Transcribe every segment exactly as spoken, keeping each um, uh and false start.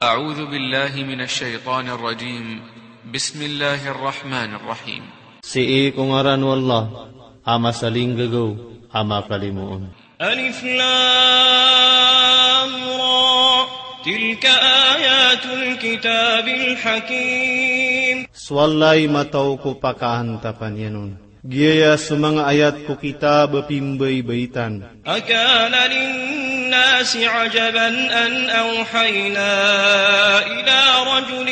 أعوذ بالله من الشيطان الرجيم. بسم الله الرحمن الرحيم. Sii ko ngaran o Allah, a masalinggagaw, a makalimoon. ألف لام را. تلك آيات الكتاب الحكيم. So Allah i mataw ko pakaantapan iyan on. Giyaya so manga ayat ko kitab a pimbaybaytan. أكان للناس عجبا أن أوحينا إلى رجل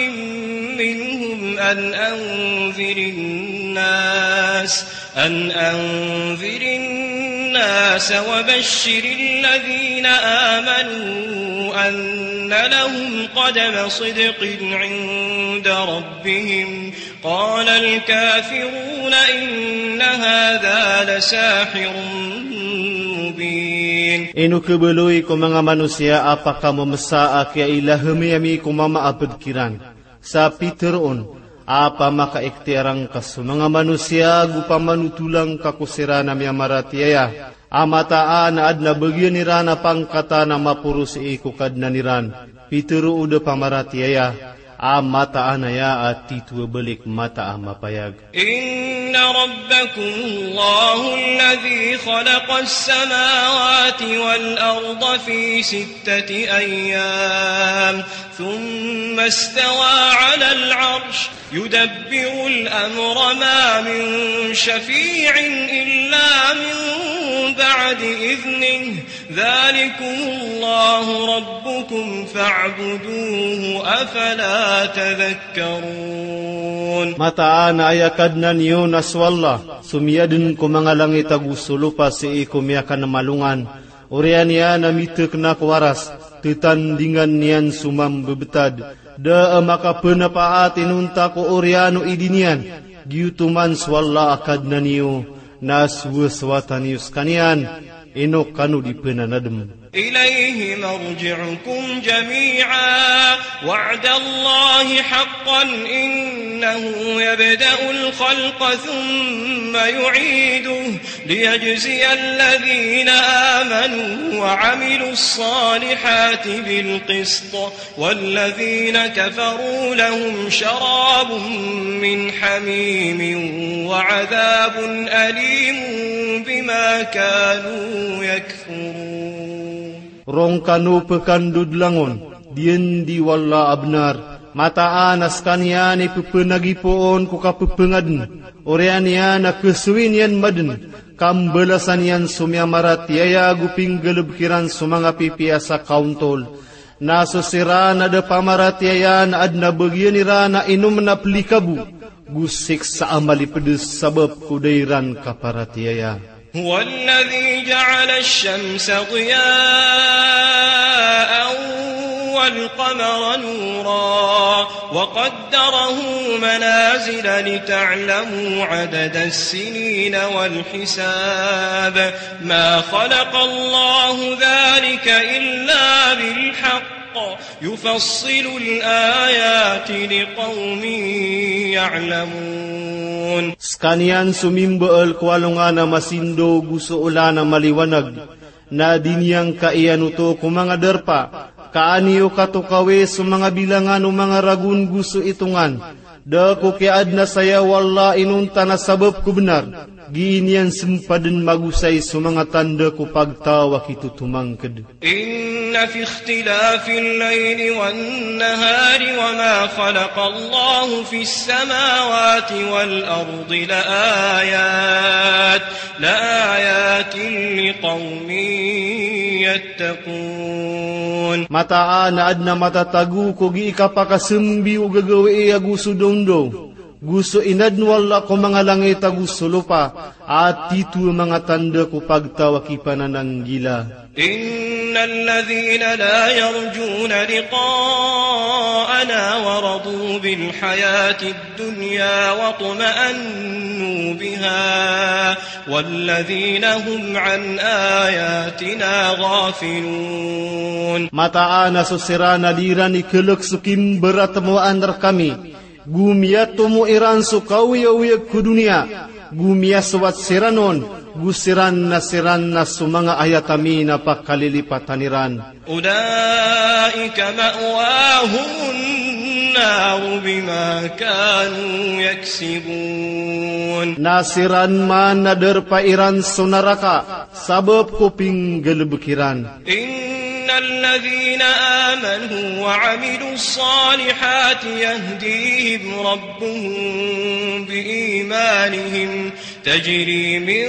منهم أن أنذر الناس، أن أنذر الناس وبشر الذين آمنوا أن لهم قدم صدق عند ربهم. قال الكافرون إن هذا لساحر مبين. Ino khabaloy ko manga manosiya a pakamemesa a kiyailahami ami ko mama a ped kiran sa piteroon a pamakaikhtiyar angka so manga manosiya ago pamanotola ngka ko siran a miyamaratiyaya a mataan a aden a bagian iran a pangkatan a maporo sii ko Kadnan iran, pitero o da pamaratiyaya, a mataan aya a tito a balik mataan a mapayag. إن ربكم الله الذي خلق السماوات والأرض في ستة أيام ثم استوى على العرش يدبر الأمر ما من شفيع إلا من بعد إذنه ذلكم الله ربكم فاعبدوه أفلا تذكرون. Mataan a aya Kadnan iyo na so Allah so miyaden ko manga langit ago so lopa sii ko miyakanemalongan. Oriyan iyan a mitekna ko Aras, tetandingan iyan so mambebetad, da a makapenapaat inonta ko oriyan o idin iyan. Giyoto man so Allah a Kadnan iyo, na sowasowatan iyo sekaniyan, ino kano di penanadem. إليه مرجعكم جميعا وعد الله حقا إنه يبدأ الخلق ثم يعيده ليجزي الذين آمنوا وعملوا الصالحات بالقسط والذين كفروا لهم شراب من حميم وعذاب أليم بما كانوا يكفرون. Roo ngkano pekandodolangon, diyen di o Allah a benar, mataan a sekaniyan i pepenagipoon ko kapepengaden, oriyan iyan a kesoyin iyan maden, kambalasan iyan so miyamaratiyaya ago pinggalebek iran so manga pipiya sa kaontol. Na so siran a da pamaratiyaya na aden a bagian iran a inomen a pelikabo, go siksa a malipedes sabap ko da iran kaparatiyaya. هو الذي جعل الشمس ضياء والقمر نورا وقدره منازل لتعلموا عدد السنين والحساب ما خلق الله ذلك إلا بالحق يفصل الآيات لقوم يعلمون. Sekaniyan so mimbaal ko alongan a masindaw go so olan a maliwanag, na di niyan kaiyan oto ko manga darpa, ka an iyo katokawi so manga bilangan o manga ragon go so itongan. Da ko kiyaadna saya o Allah inonta na sabap ko benar, gii niyan sempaden magosay so manga tanda ko pagtaw a kitotomangked. إن في اختلاف الليل والنهار وما خلق الله في السماوات والأرض لآيات، لآيات لقوم يتقون. Mataan a aden a matatago ko gii kapakasembi o gagawii ago so dawndaw, go so inadn o Allah ko manga langit ago so lopa, a tito a manga tanda ko pagtaw a kipanananggila. إن الذين لا يرجون لقاءنا ورضوا بالحياة الدنيا واطمأنوا بها والذين هم عن آياتنا غافلون. Mataan a so siran a di iran ikelek so kimberatmowaan rekami, go miyatomo iran so kaoyagoyag ko doniya, Go miyasowat siran on, go siran na siran na so manga ayat ami na pakalilipatan iran. أولئك مأواهم النار بما كانوا يكسبون. Na siran man na darpa iran so naraka sabap ko pinggalbk iran. إن الذين آمنوا وعملوا الصالحات يهديهم ربهم بإيمانهم تجري من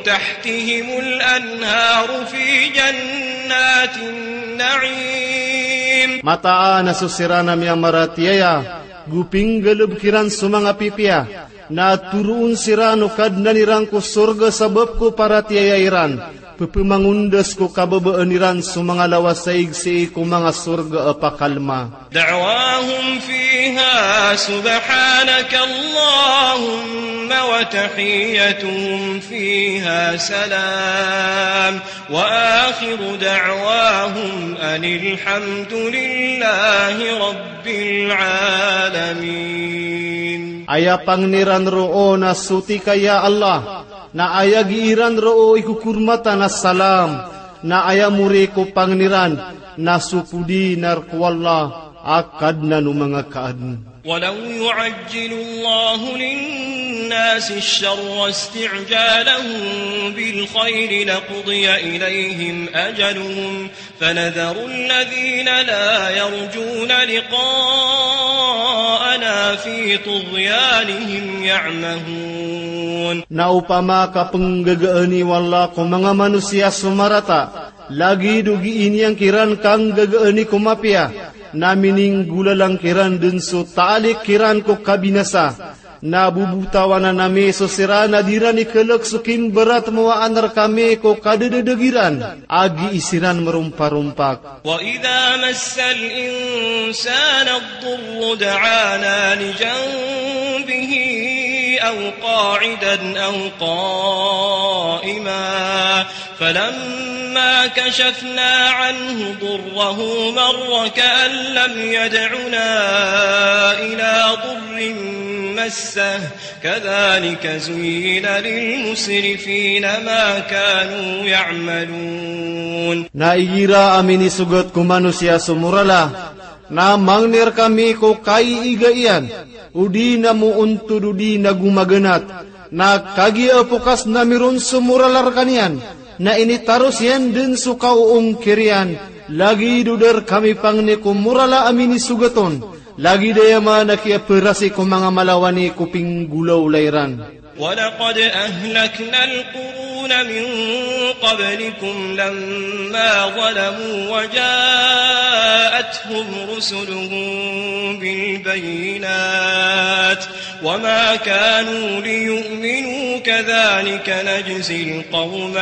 تحتهم الأنهار في جنات النعيم. Mataan a so siran a miyamaratiyaya, go pinggalbk iran so manga pipiya, na toroon siran o Kadnan iran ko sorga sabap ko paratiyaya iran. Pphamangondas ko kababaan iran so manga lawasaig sii ko manga sorga a pakalma. دعواهم فيها سبحانك اللهم وتحيتهم فيها سلام وآخر دعواهم أن الحمد لله رب العالمين. Aya pangni ran roo na soti ka ya Allah, na aya gii ran roo i kokormatan a salam, na aya mori ko pangni ran na so podi na rk o Allah a Kadnan o manga kaadn. ولو يعجل الله للناس الشر استعجالهم بالخير لقضي إليهم أجلهم فنذر الذين لا يرجون لقاءنا في طغيانهم يعمهون. Na opama ka pnggagaani o Allah ko manga manosiya so marata, lagid o gii niyan kiran kanggagaani ko mapiya, na mininggolalan kiran dn so taalik kiran ko kabinasa, na bobotawanan ami so siran a di ran ikalk so kimbaratmowaan rkami ko kadadadg iran a gii siran mromparompak. وإذا مس الإنسان الضر دعانا لجنبه أو قاعدا أو قائما فلما كشفنا عنه ضره مر كأن لم يدعنا إلى ضر مسه كذلك زين للمسرفين ما كانوا يعملون. Na igira a minisogat ko manosiya so morala, na mangni rkami ko kaiiga iyan, odi na moontod odi na gomaganat, na kagiya pokas na miron so morala rkaniyan, na initaros iyan dn so kaoongkir iyan, lagid o da rkami pangni ko morala a minisogat on, lagid aya man a kiyaparasi ko manga malawani ko pinggolawla iran. ولقد أهلكنا القرون من قبلكم لما ظلموا وجاءتهم رسلهم بالبينات وما كانوا ليؤمنوا كذلك نجزي القوم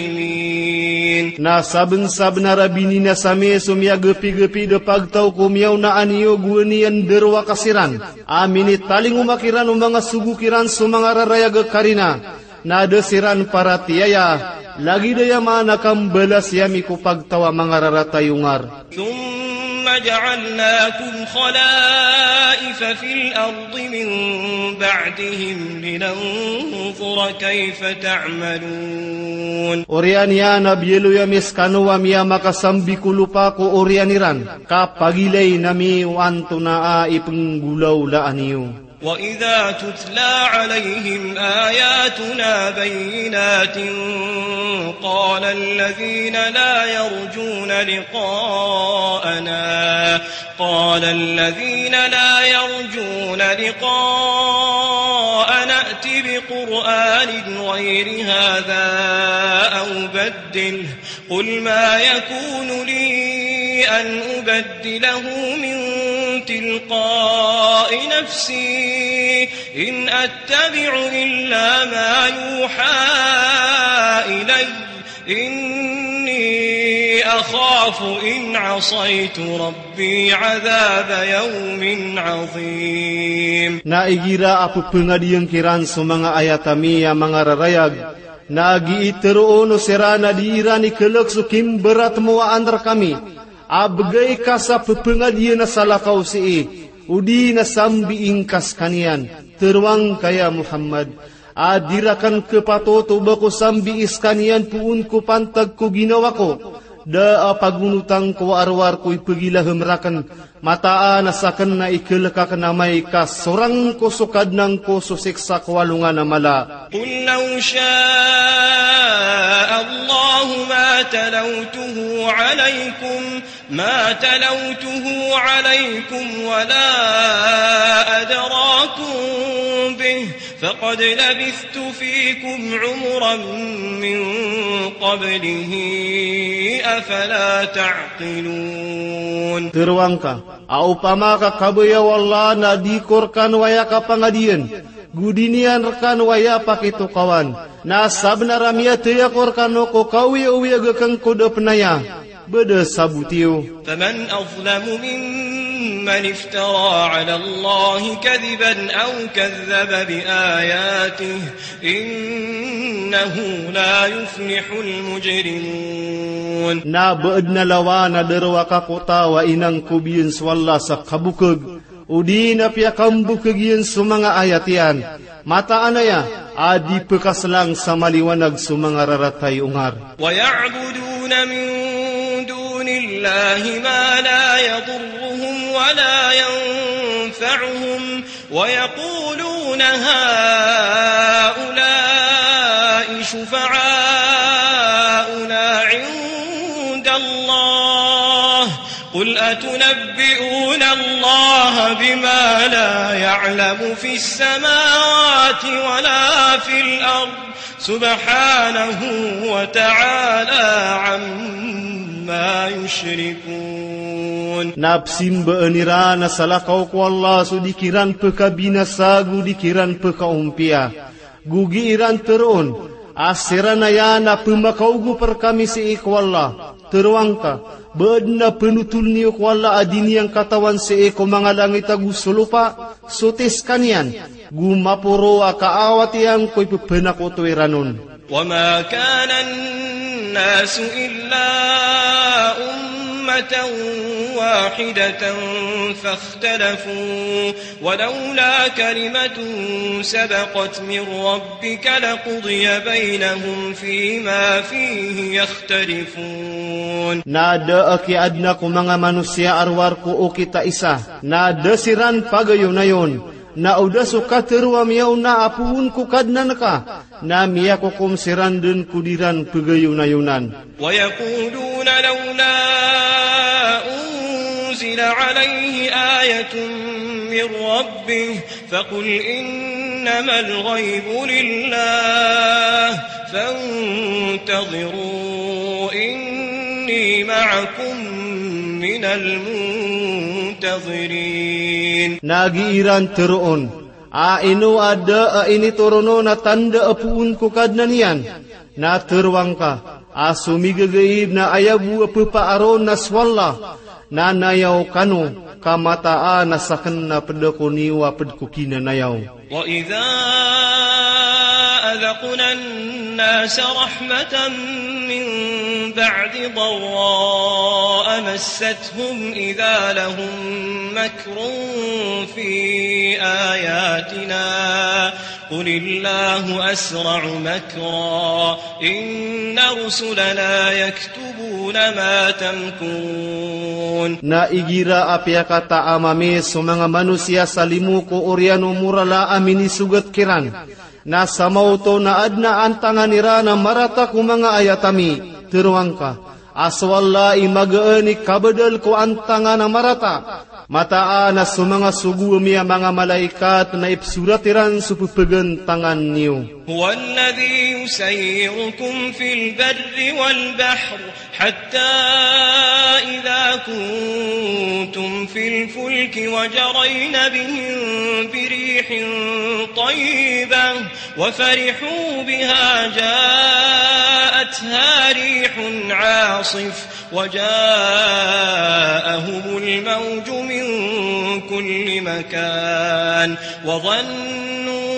المجرمين. Na sabnsabnar a bininasa mi so miyagpigpid a pagtaw ko miyaona aniyo gowani a ndrowaka siran a minitalingoma kiran o manga sogo kiran so manga rarayag a karina, na da siran paratiyaya, lagid aya man a kambalasi ami ko pagtaw a manga rarata i ongar. ثم جعلناكم خلائف في الأرض من بعدهم لننظر كيف تعملون. Oriyan iyan a biyaloy ami skano a miyamakasambi ko lopa ko oriyan iran, ka pagilayn ami o antonaa i pnggolawlaan iyo. وإذا تتلى عليهم آياتنا بينات قال الذين لا يرجون لقاءنا، قال الذين لا يرجون لقاءنا ائت بقرآن غير هذا أو بدله قل ما يكون لي أن أبدله من تلقاء نفسي إن أتبع إلا ما يوحى إلي إني أخاف إن عصيت ربي عذاب يوم عظيم. Na igira a pphangadiyang kiran so manga ayat ami a manga rarayag, na gii tharoon o siran a di iran ikalk so kimbaratmowaan rkami a bgay ka sa pphangadiyan a salakaw sii, odi na sambiing ka skaniyan. Teroang ka ya Muhammad, a di rakn khapatot o ba ko sambii skaniyan poon ko pantag ko ginawa ko, da a pagonotang ko a rowar ko ipagilaham rakn, mataan a sakn na ikhalk akn amay ka sorang ko so Kadnan ko so siksa ko alongan a mala. قل لو شاء الله ما تلوته عليكم، ما تلوته عليكم ولا أدراكم به، فقد لبثت فيكم عمرا من قبله، أفلا تعقلون. Teroang ka, a opama ka kabaya o Allah na di ko rkano aya kapangadiyan, go di niyan rkano aya pakitokawan, na sabnar a miyathay ako rkano ko kaoyagoyag akn ko da pn aya, ba da saboti yo. فمن أظلم ممن افترى على الله كذبا أو كذب بآياته، إنه لا يفلح المجرمون. Na ba adn a lawan a da rowaka ko taw a inangkob iyan so Allah sa kabokag, odi na piyakambokag iyan so manga ayat iyan, mataan aya a di pkhaslang sa maliwanag so manga raratay ongar. ويعبدون من دون الله ما لا يضرهم ولا ينفعهم، ويقولون هؤلاء شفعاؤنا عند الله، قل أتنبئون الله بما لا يعلم في السماوات ولا في الأرض، سبحانه وتعالى عما يشركون. Na pzimbaan iran a salakaw ko Allah so di kiran pkabinasa go di kiran pkaompiya. Go gii ran teroon a siran aya na pmakaogop rkami sii ko Allah. Teroang ka, ba adn a pnotol niyo ko Allah a di niyan katawan sii ko manga langit ago so lopa so tis kaniyan, go maporo a kaawat iyan ko ipphanakoto iran on. وما كان الناس إلا أمة واحدة فاختلفوا ولولا كلمة سبقت من ربك لقضي بينهم فيما فيه يختلفون. Na da a kiyaadna ko manga manosiya a rowar ko okit a isa, na da siran pagayonayon, na o da so katero a miyaona a poon ko Kadnan ka, na miyakokom siran dn ko di ran pagayonayonan. ويقولون لولا أنزل عليه آية من ربه فقل إنما الغيب لله فانتظروا إني معكم من المنتظرين. Na gii ran teroon a ino a da a initoron on a tanda a poon ko Kadnan iyan. Na teroang ka a so migagaib na aya bo a pphaaron na so Allah, na nayaw kano, ka mataan a sakn na pd ako niyo a pd ko kinanayaw. وإذا أذقنا الناس رحمة من بعد ضراء مستهم إذا لهم مكر في آياتنا قل الله أسرع مكرا إن رسلنا يكتبون ما تمكرون. Na igira a piyakataam ami so manga manosiya sa limo ko oriyan o morala a minisogat kiran, na samaoto na adn a antangan iran a marata ko manga ayat ami, teroang ka a so Allah i magaan i kabadal ko antangan a marata. Mataan a so manga sogo ami a manga malaikat na ipsorat iran so pphagantangan iyo. هو الذي يسيركم في البر والبحر حتى إذا كنتم في الفلك وجرين بهم بريح طيبة وفرحوا بها جاءتها ريح عاصف وجاءهم الموج من كل مكان وظنوا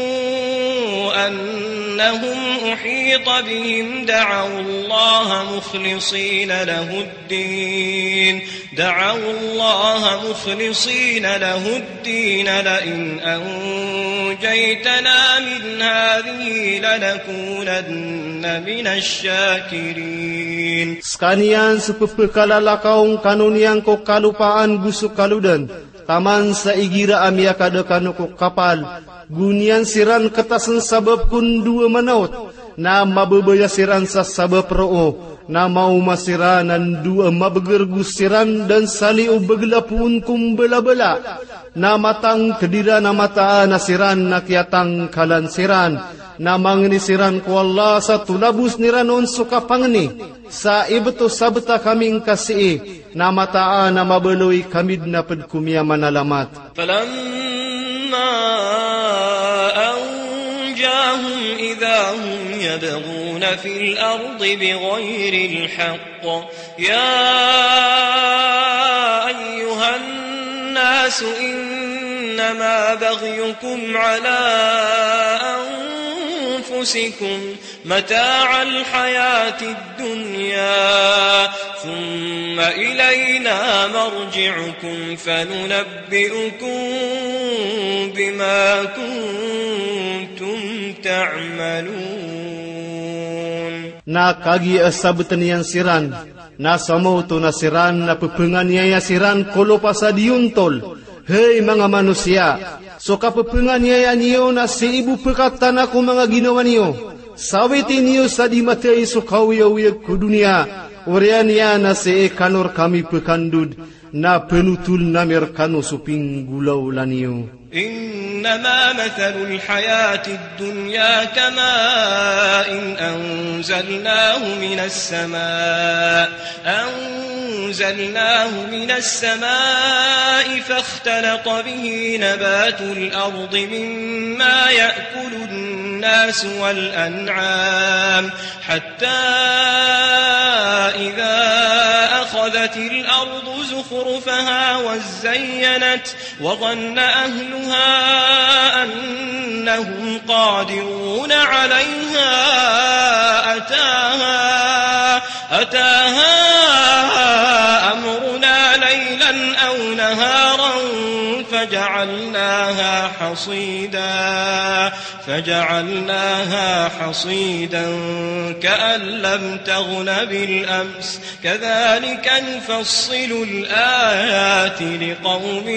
أن أنهم أحيط بهم دعوا الله مخلصين له الدين، دعوا الله مخلصين له الدين لئن أنجيتنا من هذه لنكونن من الشاكرين. Skaniyan so pphakalakaw ngka on iyan ko kalopaan go so kalodan, taman sa igira a miyakada kano ko kapal, go niyan siran ketasen sabap ko ndoa manaot, na mababaya siran sa sabap roo, na maoma siran a ndoa mabeger go siran den sa liyo begela poon ko mbalabala, na matangked iran a mataan a siran na kiyatangkalan siran, na mangni siran ko Allah sa tolabos iran on so kapangni. Sa ibt o sabt a kami ngka sii, na mataan a mabaloy kami den a ped ko miyamanalamat. فلما أنجاهم إذا هم يبغون في الأرض بغير الحق. يا أيها الناس إنما بغيكم على أنفسكم متاع الحياة الدنيا ثم إلينا مرجعكم فننبئكم بما كنتم تعملون. Na kagiya sabeten iyan siran, na somoto na siran na pepenganiyaya siran ko lopa sa diyontol. Hay manga manosiya, so kapepenganiyaya niyo na sii bo pekatana ko manga ginawa niyo. Sawiti niyo sa di mathay so kaoyagoyag ko doniya, oriyan iyan na sii kano rekami pekandod, na penotol nami rekano so pinggolawla niyo. إنما مثل الحياة الدنيا كماء أنزلناه من السماء، أنزلناه من السماء فاختلط به نبات الأرض مما يأكل الناس والأنعام، حتى إذا أخذت الأرض زخرفها وازينت وظن أهلها أنهم قادرون عليها أتاها، أتاها أمرنا ليلا أو نهارا فجعلناها حصيدا، فجعلناها حصيدا كأن لم تغن بالأمس، كذلك نفصل الآيات لقوم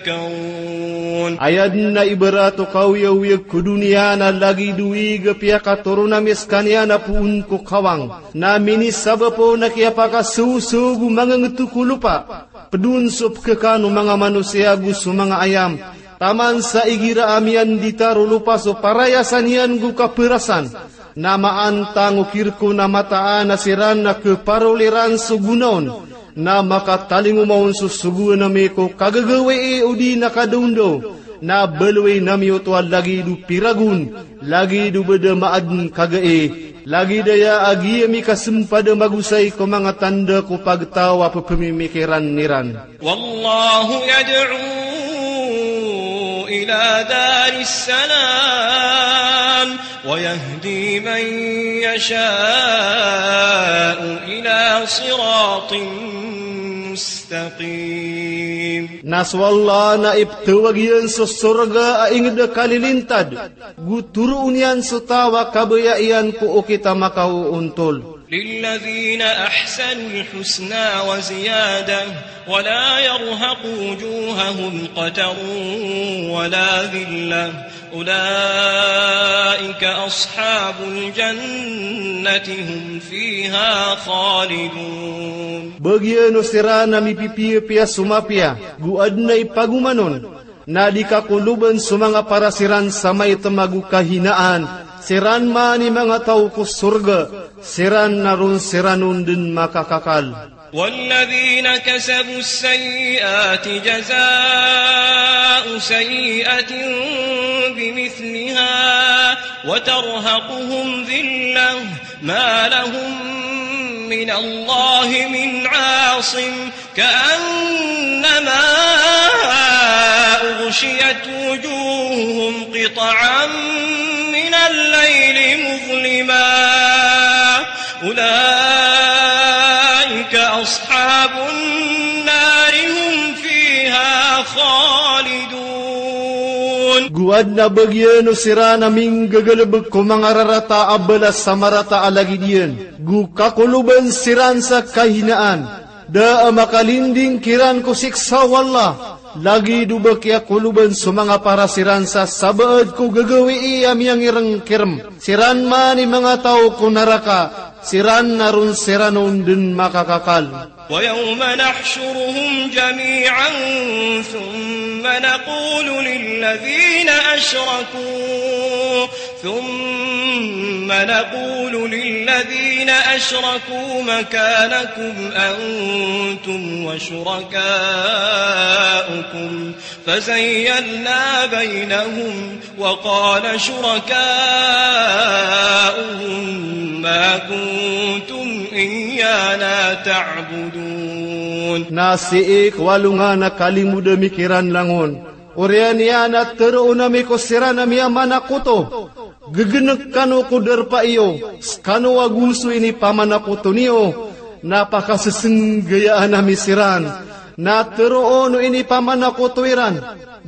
يتفكرون. Aya den a ibarat o kaoyagoyag ko doniya na lagid o ig a piyakatoron ami sekaniyan a poon ko kawang, na minisabap on a kiyapakasosogo mangengeto ko lopa. Ped on so pekhakan o manga manosiya go so manga ayam, taman sa igira a miyanditar o lopa so parayasan iyan go kaperasan, na maantang o kirek on a mataan a siran na keparol iran so gona on, na makatalingoma on so sogoan ami ko kagagawii odi na kadaondaw, na baloyin ami oto a lagid o piragon, lagid o beda maaden kagai, lagid aya a giya mikasempad a magosay ko manga tanda ko pagtaw a pepemimikiran iran. والله يدعو إلى دار السلام ويهدي من يشاء إلى صراط مستقيم. Na so Allah na ipetawag iyan so sorga a inged a kalilintad, go toroon iyan so taw a kabaya iyan ko okit a makaoontol. للذين أحسنوا الحسنى وزيادة ولا يرهق وجوههم قتر ولا ذلة أولئك أصحاب الجنة هم فيها خالدون. Bagian o siran a mipipiyapiya so mapiya, go aden a ipagoman on, na di kakoloben so manga paras iran sa maitem ago kahinaan, siran man i manga taw ko sorga, siran na ron siran on den makakakal. والذين كسبوا السيئات جزاء سيئة بمثلها وترهقهم ذلة ما لهم من الله من عاصم كأنما أغشيت وجوههم قطعا من أولئك أصحاب النار هم فيها خالدون. Go adn a bagian o siran a minggagalbk ko manga rarata a balas sa marata a lagid iyan. Go kakoloban siran sa kahinaan. Da a makalinding kiran ko siksa o Allah, lagid o ba kiyakoloban so manga para siran sa sabaad ko gagawii a miyangirngkirm. Siran man i manga taw ko naraka, siran na ron siran on dn makakakal. ويوم نحشرهم جميعا ثم نقول للذين أشركوا ثم نقول للذين أشركوا مكانكم أنتم وشركاؤكم فزيلنا بينهم وقال شركاؤهم ما كنتم إيانا تعبدون. Na sii ko alongan a kalimod ami kiran langon, oriyan iyan a tharoon ami ko siran a miyamanakoto, ggnek kano ko darpa iyo, skano ago so inipamanakoto niyo, na pakasesnggayaan ami siran, na tharoon o inipamanakoto iran,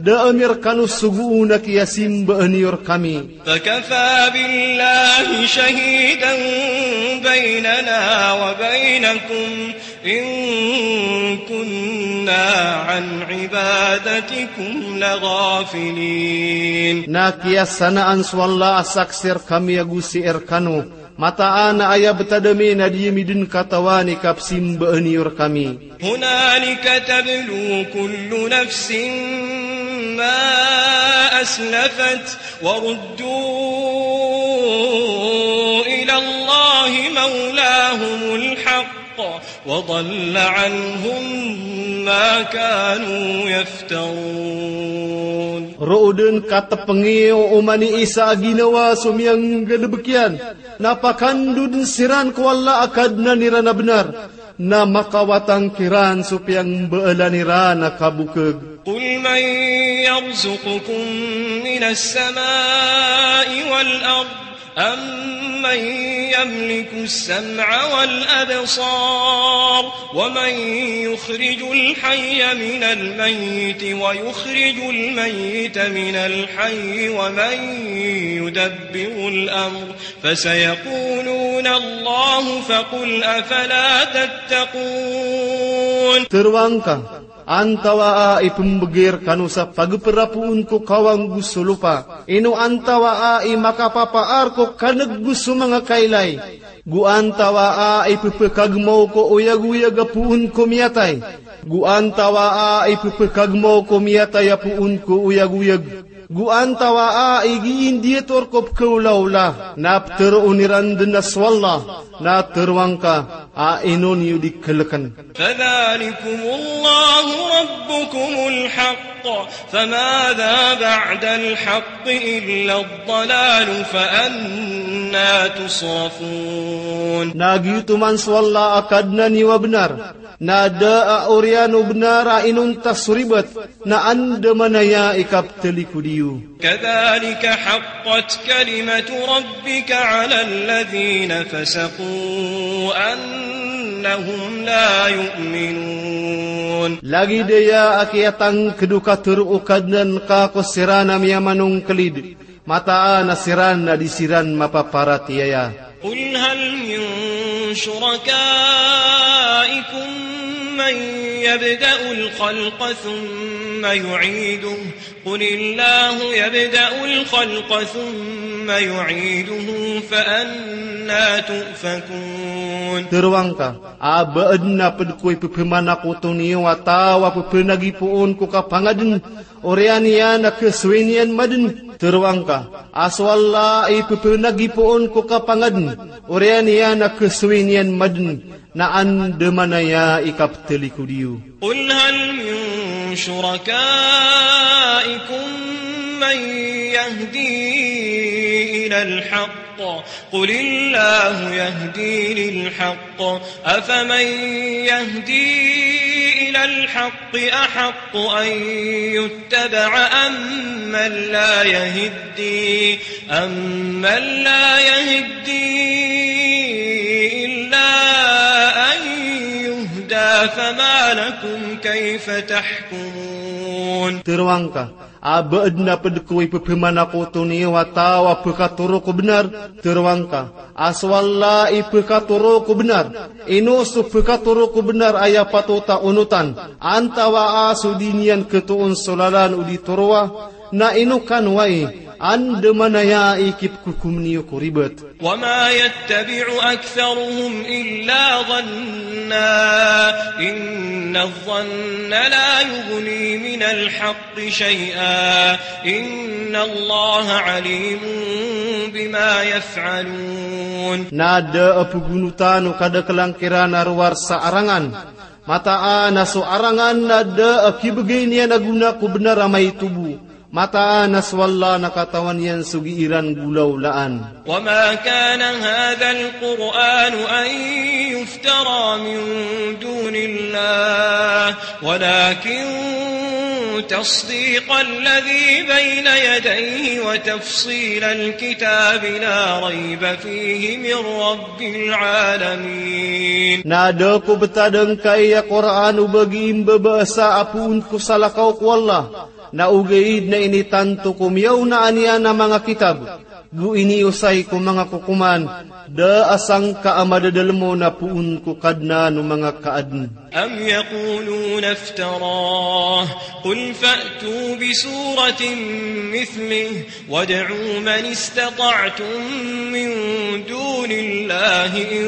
da ami rkano sogoon a kiyasimbaan iyo rkami. فكفى بالله شهيدا بيننا وبينكم إن كنا عن عبادتكم لغافلين. Na kiyasanaan so Allah a saksi rkami ago sii rkano, mataan a aya btad ami na di ami dn katawan i kapsimbaan iyo rkami. هنالك تبلو كل نفس ما أسلفت وردوا إلى الله مولاهم الحق وضل عنهم ما كانوا يفترون. Roo dn katpngi o oman i isa a ginawa so miyanggalbk iyan, na pakandodn siran ko Allah a Kadnan iran a bnar, na makawatang kiran so piyangmbaalan iran a kabokg. قل من يرزقكم من السماء والأرض أمن يملك السمع والأبصار ومن يخرج الحي من الميت ويخرج الميت من الحي ومن يدبر الأمر فسيقولون الله فقل أفلا تتقون. Tharoang ka, antawaa i pmbgay rkano sa pagpr a poon ko kawang go so lopa? Ino antawaa i makapapaar ko kan'g go so manga kailay? Go antawaa i pphkagmaw ko oyagoyag a poon ko miyatay? Go antawaa i pphkagmaw ko miyatay a poon ko oyagoyag? Go antawaa i giindiyator ko pkhaolaola? Na ptharoon iran dn a so Allah, na tharoang ka a ino niyo di khlkn. فذلكم الله ربكم الحق فماذا بعد الحق إلا الضلال فأنى تصرفون. Na giyoto man so Allah a Kadnan iyo a bnar, na da a oriyan o bnar a inonta so ribat, na andamanaya i kapthalikod iyo. كذلك حقت كلمة ربك على الذين فسقوا أنهم لا يؤمنون. Lagid aya a kiyatangkd o katharo o Kadnan ka ko siran a miyamanongklid, mataan a siran na di siran mapaparatiyaya. قل هل من شركائكم من يبدأ الخلق ثم يعيده قل الله يبدأ الخلق ثم يعيده فأنى تؤفكون. Tharoang ka, a ba adn a pd ko i pphmanakoto niyo a taw a pphnagipoon ko kapangadn, oriyan iyan a khasoway niyan madn? Tharoang ka, a so Allah i pphnagipoon ko kapangadn, oriyan iyan a khasoway niyan madn, na andamanaya i kapthalikod iyo. قل هل من شركائكم من يهدي إلى الحق قل الله يهدي للحق أفمن يهدي إلى الحق أحق أن يتبع أمن لا يهدي أمن لا يهدي فما لكم كيف تحكمون. Teroang ka, a ba adn a pd ko ipphmanakoto niyo a taw a pkatoro ko bnar? Teroang ka, a so Allah i pkatoro ko bnar. Ino so pkatoro ko bnar a aya patot a onotan? Antawaa so di niyan khatoon so lalan o di toroa? Na ino kano ai, andamanaya i kipkhokom niyo ko ribat. وما يتبع أكثرهم إلا ظنا إن الظن لا يغني من الحق شيئا إن الله عليم بما يفعلون. Na da a pgonota o kadaklan kiran a rowar sa arangan. Mataan a so arangan na da a kibgay niyan a gona ko bnar a maitobo. Mataan a so Allah na katawan iyan so gii ran golaolaan. وما كان هذا القرآن أن يفترى من دون الله ولكن تصديق الذي بين يديه وتفصيل الكتاب لا ريب فيه من رب العالمين. Na da ko btad angkai a Qur'an o ba gii mbabaasa a poon ko salakaw ko Allah. Na ogaid na initanto ko miyaonaan iyan a manga kitab, go iniosay ko manga kokoman, da a sangka a madadalm on a poon ko Kadnan o manga kaadn. أم يقولون افتراه قل فأتوا بسورة مثله وادعوا من استطعتم من دون الله إن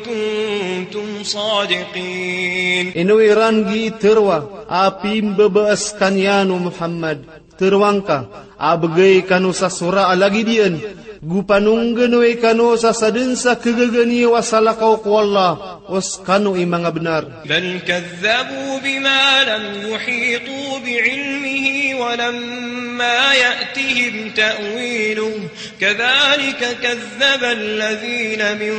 كنتم صادقين. Ino iran gii teroa a pimbabaas skaniyan o Muhammad? Teroang ka, a bgay kano sa sora a lagid iyan, go panonggnoi kano sa sadn sa khagaga niyo a salakaw ko Allah, o skano i manga bnar. بل كذبوا بما لم يحيطوا بعلمه ولما يأتهم تأويله كذلك كذب الذين من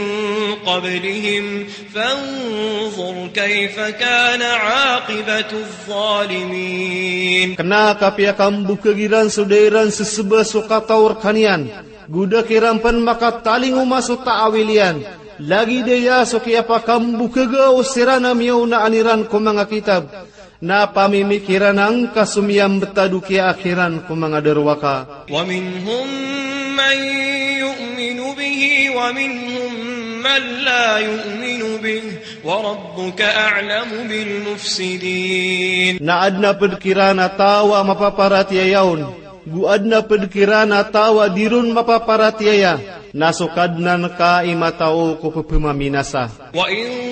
قبلهم فانظر كيف كان عاقبة الظالمين. Kna ka piyakambokag iran so da iran seseba so kataw rkaniyan, go da kiran pn makatalingoma so ta'awil iyan, lagid aya so kiyapakambokag o siran a miyaonaan iran ko manga kitab. Na pamimikiran angka so miyambtad o kiyaakhiran ko manga darowaka. ومنهم من يؤمن به ومنهم من لا يؤمن به وربك أعلم بالمفسدين. Na adn a pd kiran a taw a mapaparatiyaya on, go adn a pd kiran a taw a di ron mapaparatiyaya, na so Kadnan ka i matao ko ppmaminasa. وإن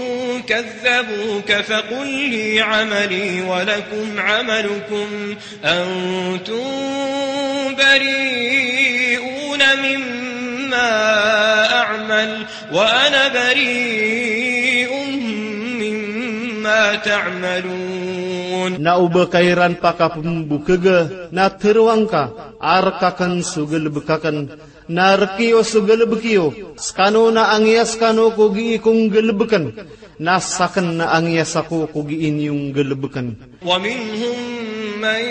كذبوك فقل لي عملي ولكم عملكم أنتم بريئون مما أعمل وأنا بريء مما تعملون. Na o ba ka iran pakapmbokg, na tharoang ka, a rk akn so galbk akn, na rk iyo so galbk iyo, skano na angiyas kano ko gii ko nggalbkn, na sakn na angiyas ako ko gii niyo nggalbkn. ومنهم من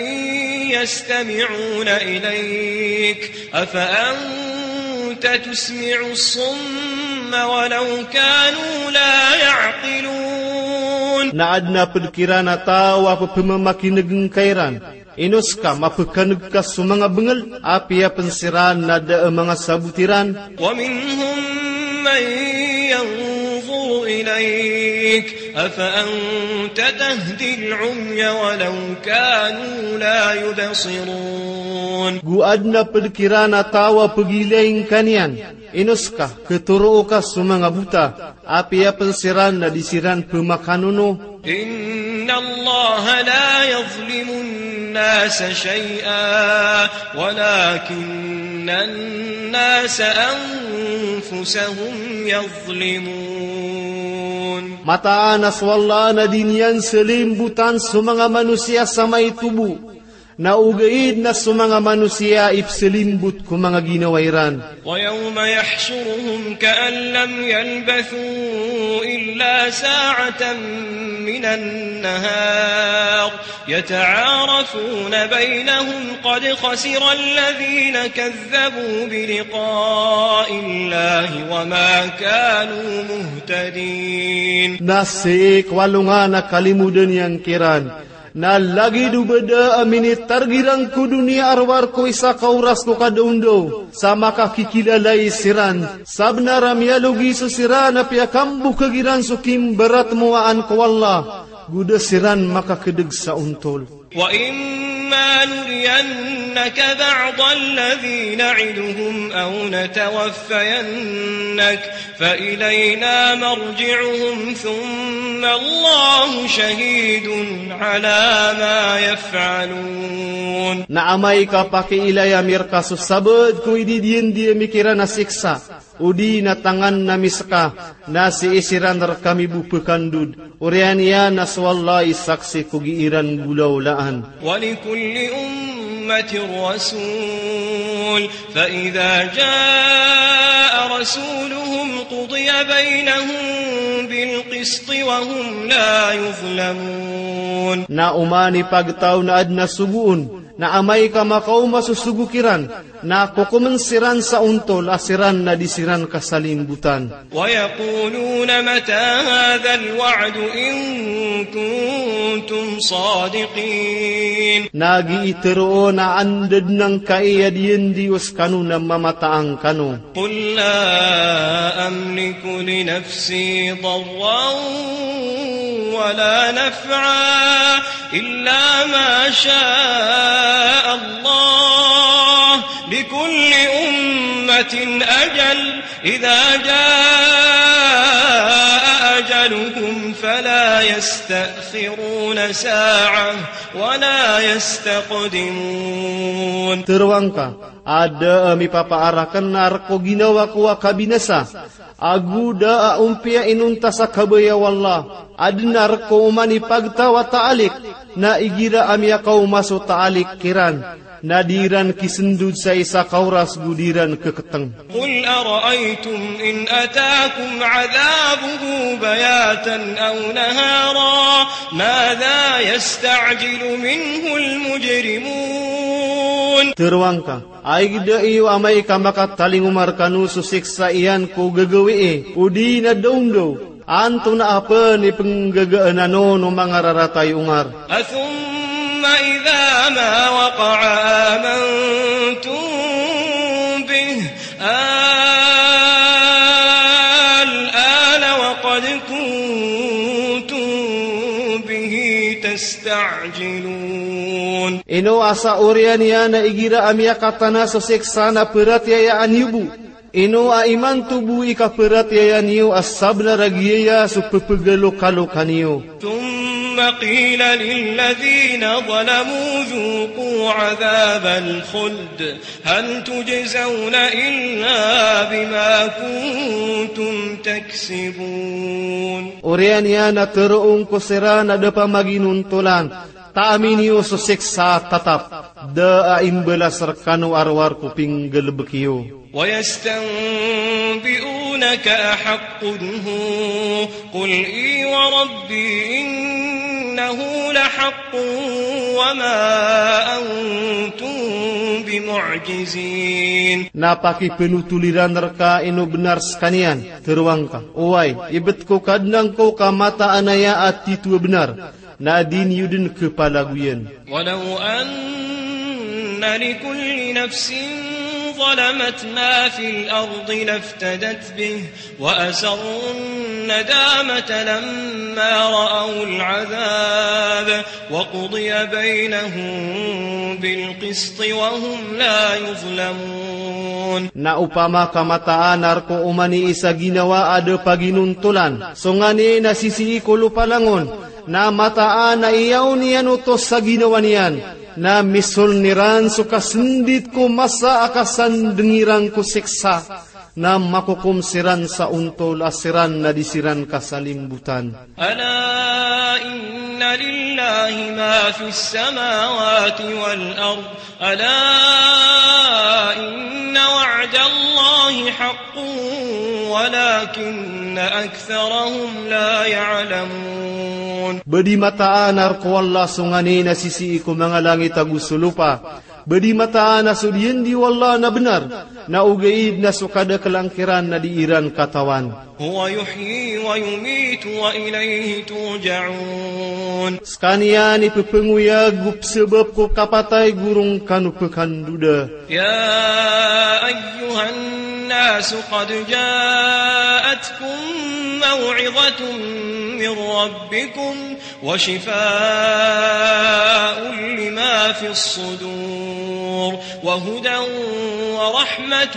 يستمعون إليك أفأنت تسمع الصم ولو كانوا لا يعقلون. Na adn a pd kiran a taw a ppmamakin'g ngka iran, ino ska mapkan'g ka so manga bngl, apiya pn siran na da a manga sabot iran. ومنهم من ينظر إليك أفأنت تهدي العمي ولو كانوا لا يبصرون. Go adn a pd kiran a taw a pgilay ngka niyan, ino ska khathoroo ka so manga bota, apiya pn siran na di siran pmakanono. إن الله لا يظلم الناس شيئا ولكن الناس أنفسهم يظلمون. Mataan a so Allah na di niyan slimbotan so manga manosiya sa maito bo. Na ogaid na so manga manosiya i psalimbot ko manga ginawa iran. ويوم يحشرهم كأن لم يلبثوا إلا ساعة من النهار يتعارفون بينهم قد خسر الذين كذبوا بلقاء الله وما كانوا مهتدين. Na sii ko alongan a kalimodan iyan kiran. Na lagid o ba da a minitarg iran ko doniya a rowar ko isa ka oras ko kadaondaw, sa makakikilalai siran, sabnar a miyalogi so siran a piyakambokag iran so kimbaratmowaan ko Allah, go da siran makakdg sa ontol. وإما نرينك بعض الذي نعدهم أو نتوفينك فإلينا مرجعهم ثم الله شهيد على ما يفعلون. Na amay ka pakiilaya mi rka so sabaad ko ididiyandi ami kiran a siksa, odi na tangan ami ska, na sii siran rkami bo pkandod, oriyan iyan na so Allah i saksi ko gii ran golaolaan. ولكل أمة رسول فإذا جاء رسولهم قضي بينهم بالقسط وهم لا يظلمون. Na oman i pagtaw na adn a sogoon, na amay ka makaoma so sogo kiran, na kokomn siran sa ontol a siran na di siran kasalimbotan. ويقولون متى هذا الوعد إن كنتم صادقين. Na gii tharoon a anda dn angkai a diyandi o skano na mamataan kano. قل لا أملك لنفسي ضرا ولا نفعا إلا ما شاء الله لكل أمة أجل إذا جاء أجلهم فلا يستأخرون ساعة ولا يستقدمون. Tharoang ka, a da a mipapaar akn a rk o ginawa ko a kabinasa, ago da a ompiya inonta sa kabaya o Allah, adn a rk o oman i pagtaw a taalik, na igira a miyakaoma so taalik kiran, na di ran kisndod sa isa ka oras go di ran khaktng. قل أرأيتم إن أتاكم عذابه بياتا أو نهارا ماذا يستعجل منه المجرمون. Tharoang ka, ayg da iyo amay ka makatalingoma rkano so siksa iyan ko gagawii, odi na daondaw, antonaa pn i pnggagaan anon o manga rarata i ongar. أثم إذا ما وقع آمنتم به الآن وقد كنتم به تستعجلون. Ino a sa oriyan iyan a igira a miyakatana so siksa na pharatiyayaan iyo bo. Ino a imanto bo i kapharatiyaya niyo a sabnar a giyaya so pphagalokalokaniyo. ثم قيل للذين ظلموا ذوقوا عذاب الخلد هل تجزون إلا بما كنتم تكسبون. Oriyan iyan a tharoon ko siran a da pamaginontolan, taami niyo so siksa a tatap, da a imbalas rkano a rowar ko pinggalbk iyo. ويستنبئونك أحق هو قل إي وربي إنه لحق وما أنتم بمعجزين. Na pakipnotol iran rka ino bnar skaniyan, tharoang ka, oway, ibt ko Kadnan ko ka mataan aya a titho a bnar, na di niyo dn khapalagoyan. ولو أن لكل نفس ظلمت ما في الأرض لافتدت به وأسروا الندامة لما رأوا العذاب وقضي بينهم بالقسط وهم لا يظلمون. Na opama ka mataan a rk o oman i isa ginawa a da paginontolan so nganin a sisii ko lopa langon, na mataan a iyaon iyan oto sa ginawa niyan, na misoln iran so kasndit ko masa a kasandng iran ko siksa, na makokom siran sa ontol a siran na di siran kasalimbotan. ألا إن لله ما في السماوات والأرض ألا إن وعد الله حق ولكن أكثرهم لا يعلمون. Ba di mataan a rk o Allah so nganin a sisii ko manga langit ago so lopa. Ba di mataan a so diyandi o Allah na bnar, na ogaid na so kadaklangkiran na di iran katawan. هو يحيي ويميت وإليه ترجعون. Skaniyan i pphanguyag o psabap ko kapatay go roo ngkano pkandoda. يا أيها الناس قد جاءتكم موعظة من ربكم وشفاء لما في الصدور وهدى ورحمة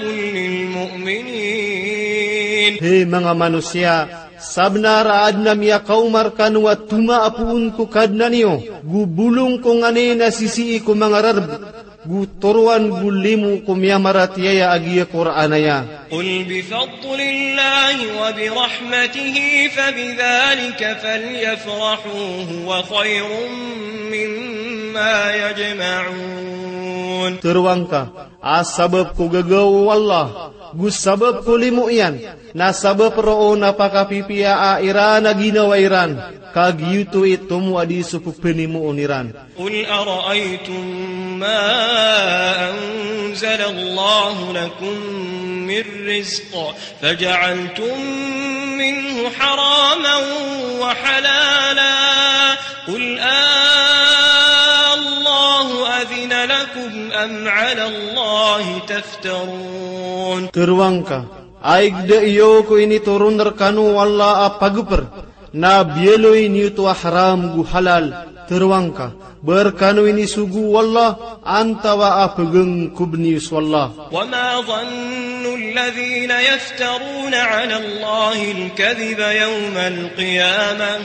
للمؤمنين. Hay manga manosiya, sabnar a adn a miyakaoma rkano a tomaapoon ko Kadnan iyo, go bolong ko nganin a sisii ko manga rarb, go toroan go limo ko miyamaratiyaya a giya Qur'an aya. قل بفضل الله وبرحمته فبذلك فليفرحوا هو خير مما يجمعون. Toroa ngka a sabap ko gagaw o Allah, go sabap ko limo iyan, na sabap roo na pakapipiyaa iran a ginawa iran, ka giyoto i tomo a di so ppanimoon iran. قل أرأيتم ما أنزل الله لكم من رزق فجعلتم منه حراما وحلالا قل آه الله أذن لكم أم على الله تفترون. Toroa ngka, ayg da iyo ko initoron rkano o Allah a pagpr, na biyaloy niyo oto a haram go halal? Toroa ngka, ba rkano inisogo o Allah, antawa a pgngkob niyo so Allah? وما ظن الذين يفترون على الله الكذب يوم القيامة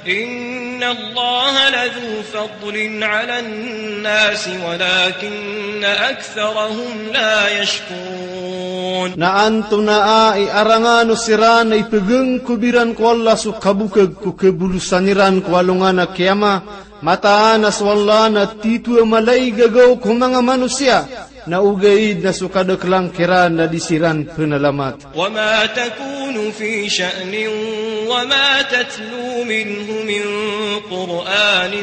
إن الله لذو فضل على الناس ولكن أكثرهم لا يشكرون. Na antonaa i arangan o siran a ipgngkob iran ko Allah so kabokag ko kabolosan iran ko alongan a kiyama, mataan a so Allah na tito a mala i gagaw ko manga manosiya, na ogaid na so kadaklangkiran na di siran pnalamat. وما تكون في شأن وما تتلو منه من قرآن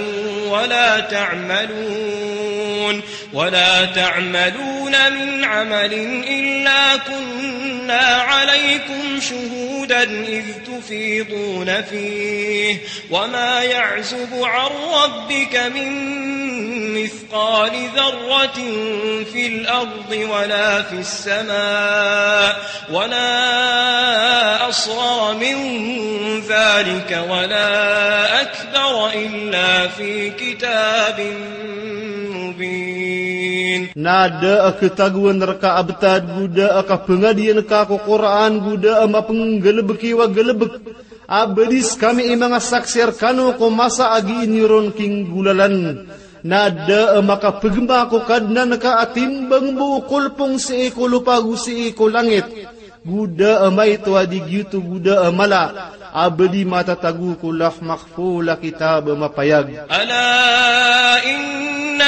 ولا تعملون ولا تعملون من عمل إلا كنا عليكم شهودا إذ تفيضون فيه وما يعزب عن ربك من مثقال ذرة في الأرض ولا في السماء ولا أصغر من ذلك ولا أكبر إلا في كتاب مبين. Na da a katagoan rka a btad, go da a kapngadian ka ko Qur'an, go da a mapnggalbk iyo a galbk. A ba di skami i manga saksi rkano ko masa a giya niyo ron kinggolalan. Na da a makapgma ko Kadnan ka a timbang bo o kolpong sii ko lopa go sii ko langit. Go da a maito a di giyoto go da a mala a ba di matatago ko Lawh Mahfuz a kitab a mapayag. ألا إن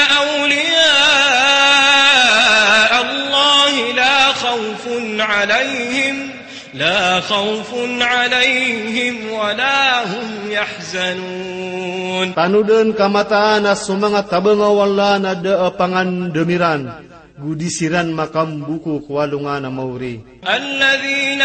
أولياء الله لا خوف عليهم لا خوف عليهم ولا هم يحزنون. Tanodan ka mataan a so manga tabang o Allah na da a pangandam iran, go di siran makamboko ko alongan a maori. الذين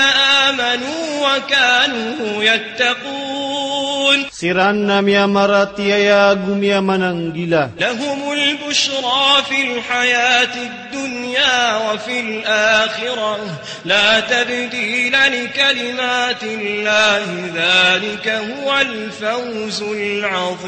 آمنوا وكانوا يتقون. Siran na miyamaratiyaya go miyamananggila. لهم البشرى في الحياة الدنيا وفي الآخرة لا تبديل لكلمات الله ذلك هو الفوز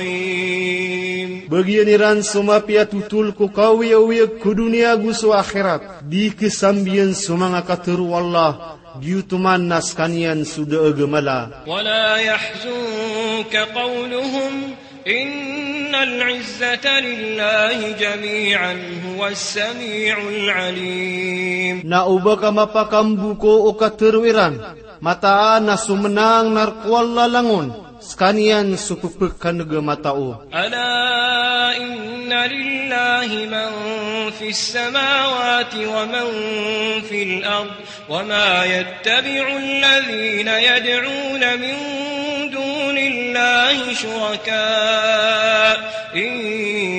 العظيم. Bagian iran so mapiya a totol ko kaoyagoyag ko doniya go so akhirat. Di ksambiyan so manga katharo o Allah, giyoto man na skaniyan so da a gamala. ولا يحزنك قولهم إن العزة لله جميعا هو السميع العليم. Na oba ka mapakamboko o katharo iran, mataan a so mnang na rk o Allah langon, Skaniyan so pphkan'g a matao. ألا إن لله من في السماوات ومن في الأرض وما يتبع الذين يدعون من دون الله شركاء إن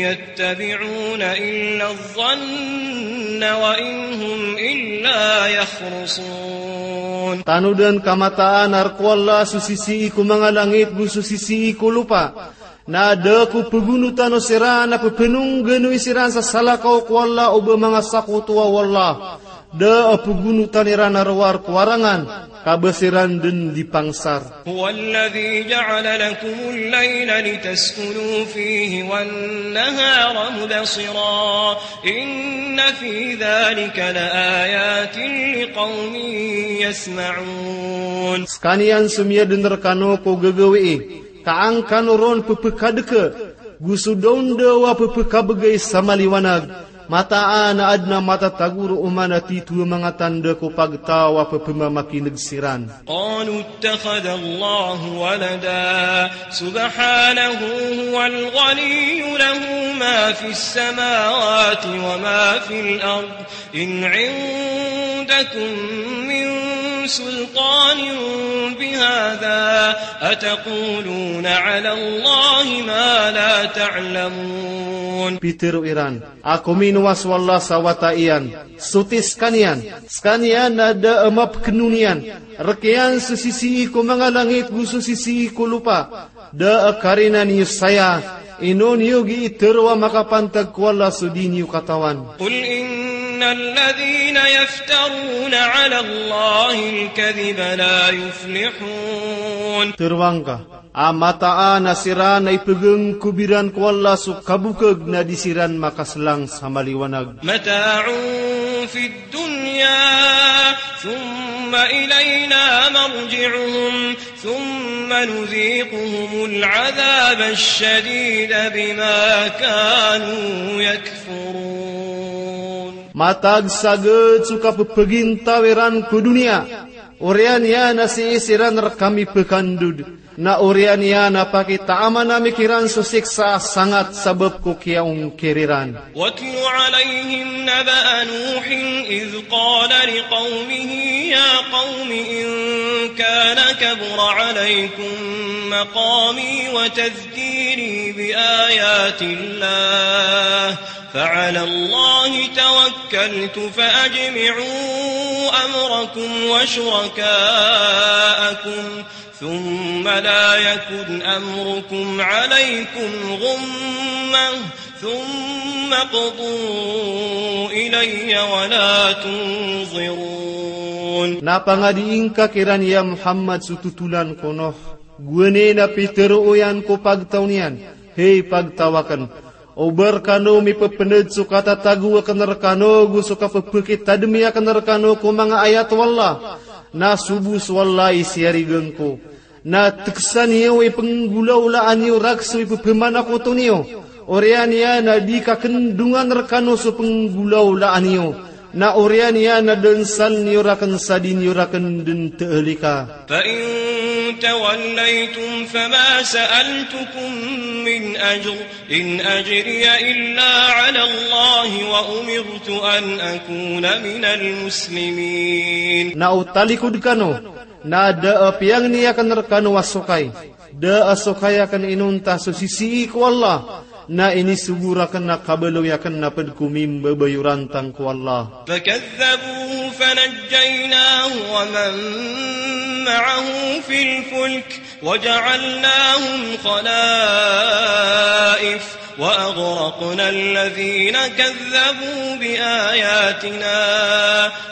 يتبعون إلا الظن وإن هم إلا يخرصون. Tanodan ka mataan a rk o Allah so sisii ko manga langit go so sisii ko lopa. Na da ko pgonotan o siran a pphanongganowi siran sa salakaw ko Allah o ba manga sakotowa o Allah. Da a pgonotan iran a rowar ko warangan, ka ba siran dn di pangsar. هو الذي جعل لكم الليل لتسكنوا فيه والنهار مبصرا إن في ذلك لآيات لقوم يسمعون. Skaniyan so miyadn rkano ko gagawii, ka an kano ron pphkadka, go so daondaw a pphkabgay sa maliwanag, mataan a adn a matatago roo man a titho a manga tanda ko pagtaw a pphmamakin'g siran. قالوا اتخذ الله ولدا سبحانه هو الغني له ما في السماوات وما في الأرض إن عندكم من سلطان بهذا أتقولون على الله ما لا تعلمون. Pitharo iran a kominowa so Allah sa wata iyan, soti skaniyan, skaniyan na da a mapkn on iyan, rk iyan so sisii ko manga langit go so sisii ko lopa, da a karina niyo saya, ino niyo gii tharoa makapantag ko Allah so di niyo katawan. قل إن الذين يفترون على الله الكذب لا يفلحون. Tharoa ngka a mataan a siran a ipgngkob iran ko Allah so kabokg na di siran makaslang sa maliwanag. متاع في الدنيا ثم إلينا مرجعهم ثم نذيقهم العذاب الشديد بما كانوا يكفرون. Matag sagad so kapphgintaw iran ko doniya, oriyan iyan a sii siran rkami pkandod, na oriyan iyan a pakitaman ami kiran so siksa a sangat sabap ko kiyaongkir iran. واتل عليهم نبأ نوح إذ قال لقومه يا قوم إن كان كبر عليكم مقامي وتذكيري بآيات الله فعلى الله توكلت فأجمعوا أمركم وشركاءكم ثم لا يكن أمركم عليكم غمة ثم اقضوا إلي ولا تنظرون. Na pangadii ngka kiran ya Muhammad so totolan ko Nuh, gowani na pitero iyan ko pagtaw niyan, hay pagtaw akn, o ba rkano mipepned so katatago akn rkano go so kapepekitadmi akn rkano ko manga ayat o Allah, na sobo so Allah i siyarigan ko. Na tekesa niyo i penggolawlaan iyo raken so ipepemanakoto niyo. Oriyan iyan a di kakendongan rkano so penggolawlaan iyo. Na oriyan iyan a densal niyo raken sa di niyo raken den teelika. فإن توليتم فما سألتكم من أجر إن أجري إلا على الله وأمرت أن أكون من المسلمين. Na o talikod kano, na da a piyangni aken rkano a sokay. Da a sokay aken inonta so sisii ko Allah. Na inisogo raken a kabaloy aken a ped ko mimbabayorantang ko Allah. فكذبوه فنجيناه ومن معه في الفلك وجعلناهم خلائف وأغرقنا الذين كذبوا بآياتنا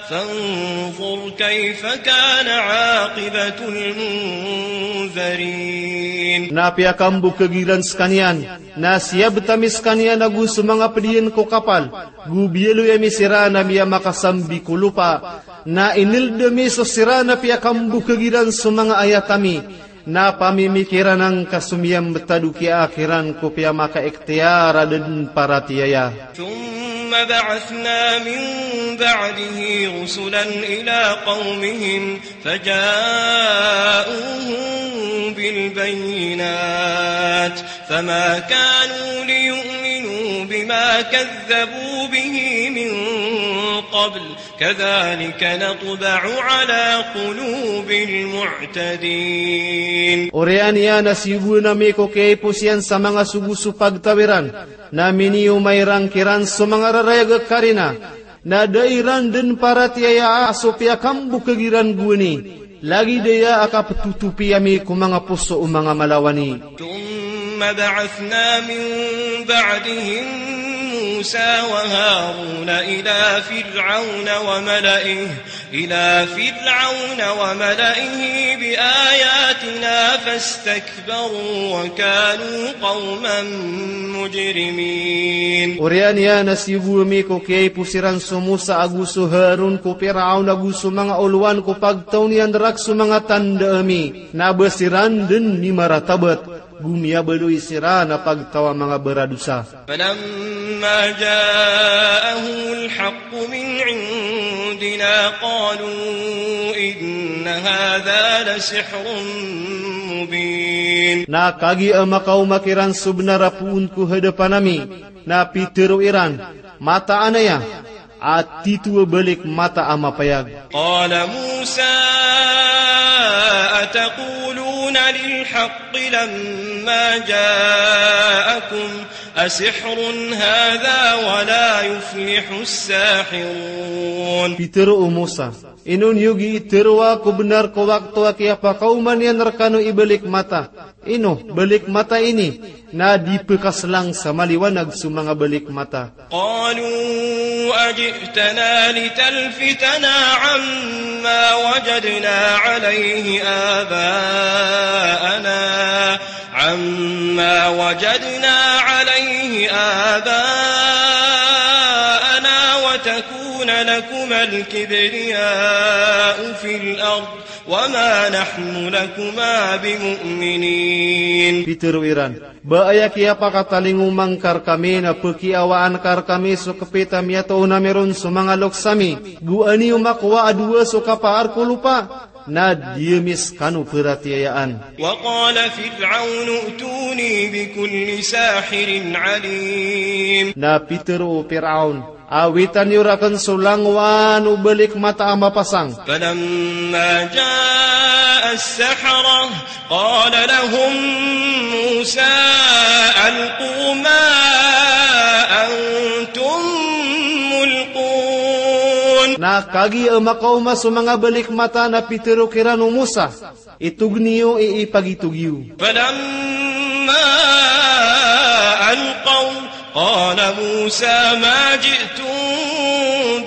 فانظر كيف كان عاقبة المنذرين. Na piyakambokeg iran sekaniyan, na siyabet ami sekaniyan ago so manga ped iyan ko kapal, go biyaloy ami siran a miyamakasambi ko lopa, na ineld ami so siran a piyakambokeg iran so manga ayat ami, na pamimikiran angka so miyambetad o kiyaak iran ko piyamakaikhtiyar a da den paratiyaya. ثم بعثنا من بعده رسلا إلى قومهم فجاءوهم بالبينات فما كانوا ليؤمنوا بما كذبوا به من قبل كذلك نطبع على قلوب المعتدين. Oriyan iyan a siyogoan ami ko kiyaipos iyan sa manga sogo so pagtaw iran, na miniyoma iran kiran so manga rarayag a karina, na da iran dn paratiyayaa a so piyakambokag iran gowani, lagid aya a kaptotopi ami ko manga poso o manga malawani. ثم بعثنا من بعدهم موسى وهارون إلى فرعون وملئه، إلى فرعون وملئه بآياتنا فاستكبروا وكانوا قوما مجرمين. Oriyan iyan a siyogo ami ko kiyaipos iran so Musa ago so Harun ko Piraon ago so manga olowan ko pagtaw niyan rk so manga tanda ami, na ba siran dn mimaratabat, go miyabaloy siran a pagtaw a manga baradosa. فلما جاءهم الحق من عندنا قالوا إن هذا لسحر مبين. Na kagiya makaoma kiran so bnar a poon ko hadapan ami, na pitharo iran, mataan aya a titho a balik mata a mapayag. قال موسى أتقولون للحق لما جاءكم أسحر هذا ولا يفلح الساحرون. Pitharo o Musa, ino niyo gii tharoa ko bnar ko wakto a kiyapakaoma niyan rkano i balik mata? Ino balik mata ini na di pkhaslang sa maliwanag so manga balik mata. قالوا أجئتنا لتلفتنا عما وجدنا عليه آباءنا، عما وجدنا عليه آباءنا وتكون لكما الكبرياء في الأرض وما نحن لكما بمؤمنين. Pitharo iran, ba aya kiyapakatalingoma ngka rkami na pkiawaan ka rkami so kpit a miyatoon ami ron so manga loks ami, go aniyo makowa a dowa so kapaar ko lopa, na di ami skano paratiyayaan. وقال فرعون ائتوني بكل ساحر عليم. Na pitharo o Piraon, awitan iyo rakn so langowan o balik mata a mapasang. فلما جاء السحرة قال لهم موسى ألقوا ما أنتم ملقون. Na kagiya makaoma so manga balik mata na pitharo kiran o Musa, itog niyo i ipagitog iyo. فلما ألقوا قال موسى ما جئتم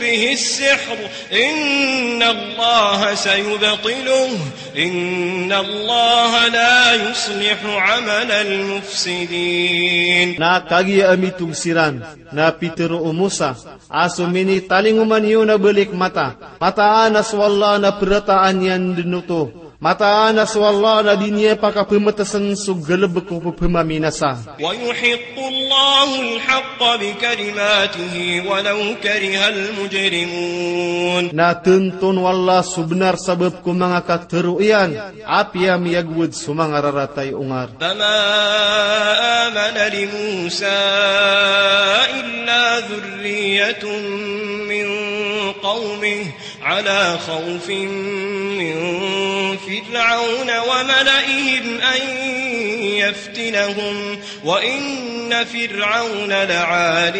به السحر إن الله سيبطله إن الله لا يصلح عمل المفسدين. Na kagiya mitog siran, na pitharo o Musa, a so minitalingoma niyo na balik mata, mataan a so Allah na prataan iyan dn oto. Mataan a so Allah na di niyan pakapmtsn so galbk o pphamaminasa. ويحق الله الحق بكلماته ولو كره المجرمون. Na tnto o Allah so bnar sabap ko manga katharo iyan, apiya miyagowad so manga rarata i ongar. فما آمن لموسى إلا ذرية من قومه على خوف من فرعون وملئهم أن يفتنهم وإن فرعون لعال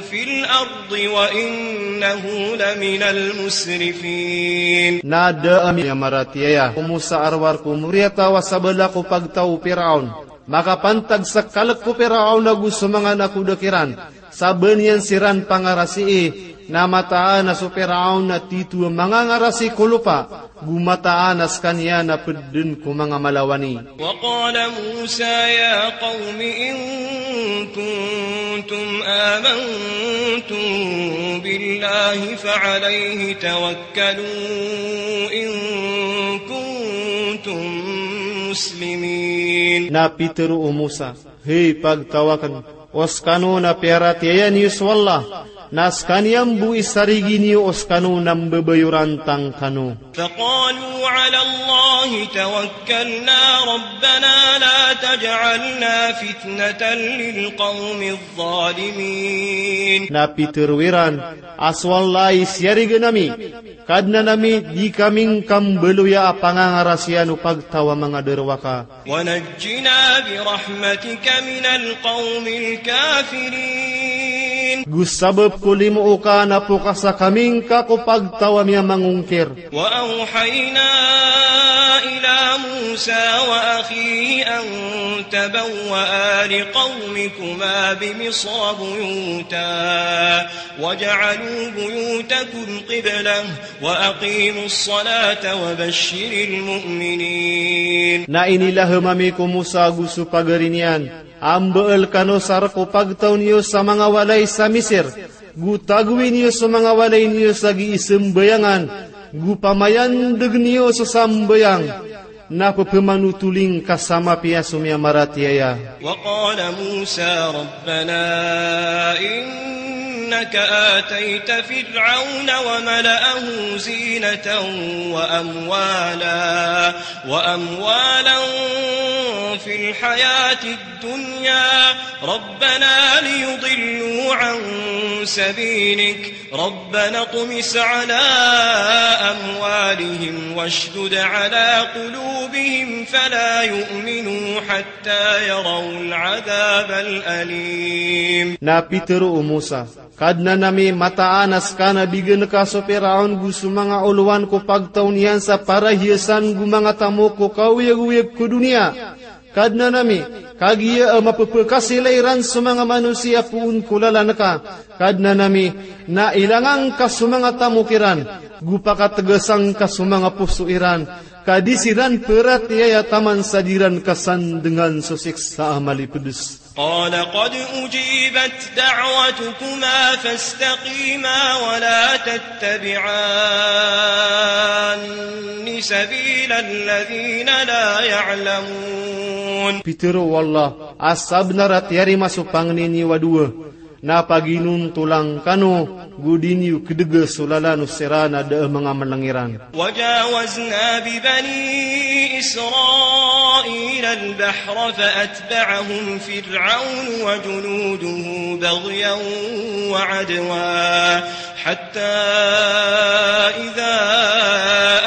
في الأرض وإنه لمن المسرفين. Na da a miyamaratiyaya o Musa a rowar ko moriyataw a sabala ko pagtaw o Piraon. Makapantag sa kalk o Piraon ago so manga nakoda kiran, sa ba niyan siran pangarasii, na mataan a so Piraon na titho a manga ngarasi ko lopa, go mataan a skaniyan na pd dn ko manga malawani. وقال موسى يا قوم إن كنتم آمنتم بالله فعليه توكلوا إن كنتم مسلمين. Na pitharo o Musa, hay pagtaw akn, o skano na piyaratiyaya niyo so Allah, Na skaniyan bo i sarigi niyo o skano na mbabayoran tangkano. فقالوا على الله توكلنا ربنا لا تجعلنا فتنة للقوم الظالمين. Na pitharo iran a so Allah i siyarigan ami, Kadnan ami, di kami ngka mbaloya a pangangarasiyan o pagtaw a manga darowaka. ونجنا برحمتك من القوم الكافرين. Go sabap ko limo oka na pokasa kami ngka ko pagtaw a miyamangongkir. وأوحينا إلى موسى وأخيه أن تبوأ لقومكما بمصر بيوتا واجعلوا بيوتكم قبلة وأقيموا الصلاة وبشر المؤمنين. Na inilahem ami ko Musa ago so pagari niyan a mbaal kano sa rk o pagtaw niyo sa manga walay sa Misir, go tagowi niyo so manga walay niyo sa gii sambayangan, go pamayandeg niyo so sambayang, na pepemanotoling ka sa mapiya so miyamaratiyaya. وقال موسى ربنا إنك آتيت فرعون وملأه زينة وأموالا، وأموالا في الحياة الدنيا ربنا ليضلوا عن سبيلك ربنا اطمس على أموالهم واشدد على قلوبهم فلا يؤمنوا حتى يروا العذاب الأليم. Na pitharo o Musa, Kadnan ami, mataan a ska na bigan ka so Piraon go so manga olowan ko pagtaw niyan sa parahiyasan go manga tamok ko kaoyagoyag ko doniya. Kadnan ami, kagiya a mapepekasilay ran so manga manosiya poon ko lalan ka. Kadnan ami, na ilangan ka so manga tamok iran, go pakategasan ka so manga poso iran, ka di siran peratiyaya taman sa di ran kasandengan so siksa a malipedes. قال قد أجيبت دعوتكما فاستقيما ولا تتبعان سبيل الذين لا يعلمون. Pitharo o Allah, a sabnar a tiyarima so pangni niyo a dowa, na paginontolan kano, go di niyo kedega so lalan o siran a da a manga meleng iran. وجاوزنا ببني إسرائيل البحر فأتبعهم فرعون وجنوده بغيا وعدوا حتى إذا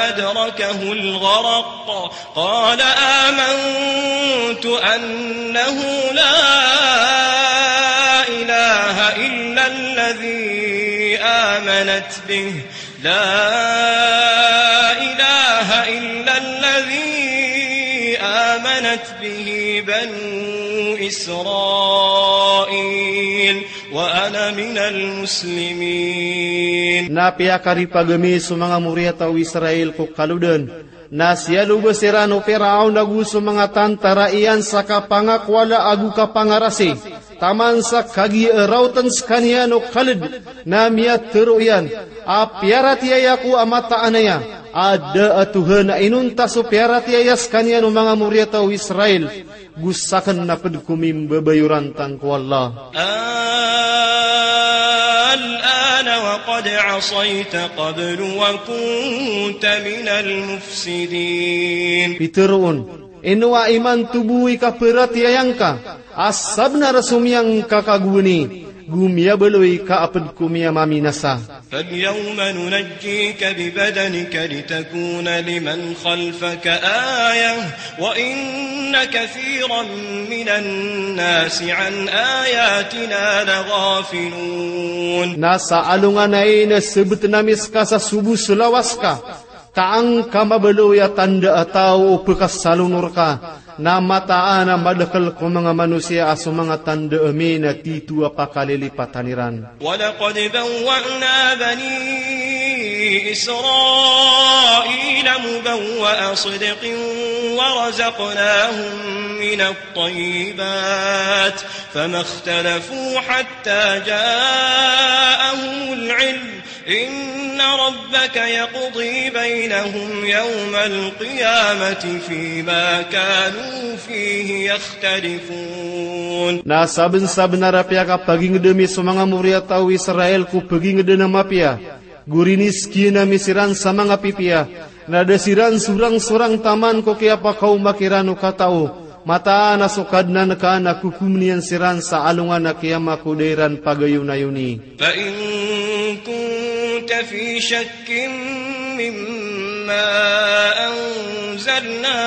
أدركه الغرق قال آمنت أنه لا إله إلا الذي آمنت به، لا إله إلا الذي آمنت به بنو إسرائيل وأنا من المسلمين. Na piyakaripag ami so manga moriyataw o Israel ko kalodan, na siyalobas iran o Piraon ago so manga tantara iyan sa kapangakowala ago kapangarasi, taman sa kagiya a raotan sekaniyan o kaled, na miyatharo iyan a piyaratiyaya ko a mataan aya a da a Tohan a inonta so piyaratiyaya sekaniyan o manga moriyataw o Israel, go saken na ped ko mimbabayoran tangko Allah. الآن وقد عصيت قبل وكنت من المفسدين. Pitharo on, ino a imanto bo i kaperatiyayan ka, a sabnar a somiyang ka kagowani, go miyabaloy ka a ped ko miyamaminasa. فاليوم ننجيك ببدنك لتكون لمن خلفك آية وإن كثيرا من الناس عن آياتنا لغافلون. Na sa alongan ai na sebeten ami seka sa sobo so lawas ka, ka angka mabaloy a tanda a taw o pekasalonor ka, na mataan a madakel ko manga manosiya a so manga tanda ami na tito a pakalilipatan iran. ولقد بوأنا بني إسرائيل مبوأ صدق ورزقناهم من الطيبات فما اختلفوا حتى جاءهم العلم إن ربك يقضي بينهم يوم القيامة فيما كانوا فيه يختلفون. Na sabnsabnar a piyakapagingd ami so manga moriyataw o Israel ko pagingdn a mapiya, go riniskiyan ami siran sa manga pipiya, na da siran sorangsorang taman ko kiyapakaoma kiran o katao, mataan a so Kadnan ka na kokomn iyan siran sa alongan a kiyama ko da iran pagayonayoni. فإن كنت في شك مما أنزلنا